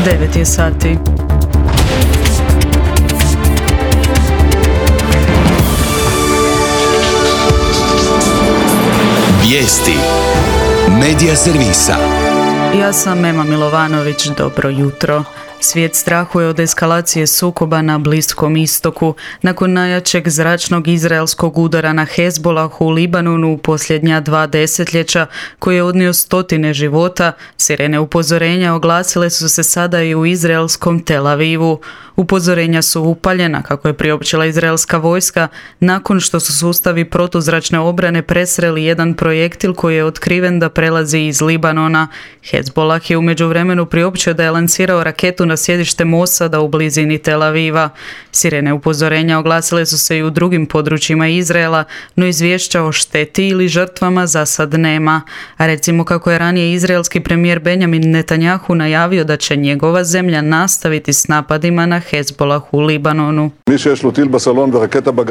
9 je sati. Vijesti Medija servisa. Ja sam Ema Milovanović, dobro jutro. Svijet strahuje od eskalacije sukoba na Bliskom istoku. Nakon najjačeg zračnog izraelskog udara na Hezbolahu u Libanonu u posljednja 2 desetljeća, koji je odnio stotine života, sirene upozorenja oglasile su se sada i u izraelskom Tel Avivu. Upozorenja su upaljena, kako je priopćila izraelska vojska, nakon što su sustavi protuzračne obrane presreli jedan projektil koji je otkriven da prelazi iz Libanona. Hezbolah je u međuvremenu priopćio da je lansirao raketu na sjedište Mosada u blizini Tel Aviva. Sirene upozorenja oglasile su se i u drugim područjima Izraela, no izvješća o šteti ili žrtvama za sad nema. A recimo kako je ranije izraelski premijer Benjamin Netanjahu najavio da će njegova zemlja nastaviti s napadima na Hezbolah u Libanonu.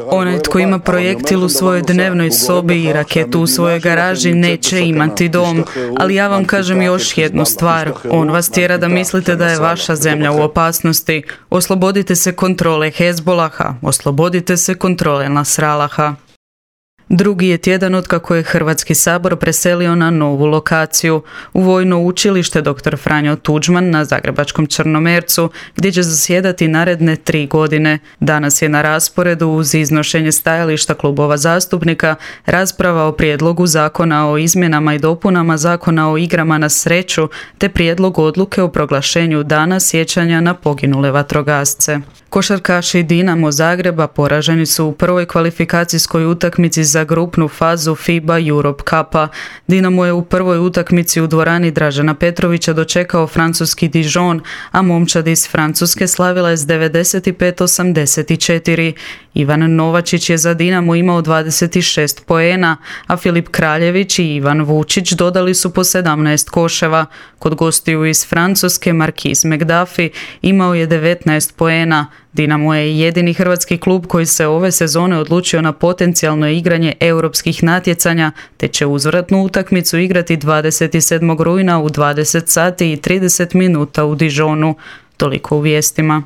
Onaj tko ima projektil u svojoj dnevnoj sobi i raketu u svojoj garaži neće imati dom, ali ja vam kažem još jednu stvar. On vas tjera da mislite da je vaša zemlja u opasnosti. Oslobodite se kontrole Hezbolaha, oslobodite se kontrole Nasralaha. Drugi je tjedan otkako je Hrvatski sabor preselio na novu lokaciju, u Vojno učilište dr. Franjo Tuđman na zagrebačkom Črnomercu, gdje će zasjedati naredne 3 godine. Danas je na rasporedu, uz iznošenje stajališta klubova zastupnika, rasprava o prijedlogu zakona o izmjenama i dopunama zakona o igrama na sreću, te prijedlog odluke o proglašenju dana sjećanja na poginule vatrogasce. Košarkaši Dinamo Zagreba poraženi su u prvoj kvalifikacijskoj utakmici za grupnu fazu FIBA Europe Cupa. Dinamo je u prvoj utakmici u dvorani Dražena Petrovića dočekao francuski Dijon, a momčad iz Francuske slavila je s 95-84. Ivan Novačić je za Dinamo imao 26 poena, a Filip Kraljević i Ivan Vučić dodali su po 17 koševa. Kod gostiju iz Francuske Marquise McDuffie imao je 19 poena. Dinamo je jedini hrvatski klub koji se ove sezone odlučio na potencijalno igranje europskih natjecanja, te će uzvratnu utakmicu igrati 27. rujna u 20 sati i 30 minuta u Dijonu. Toliko u vijestima.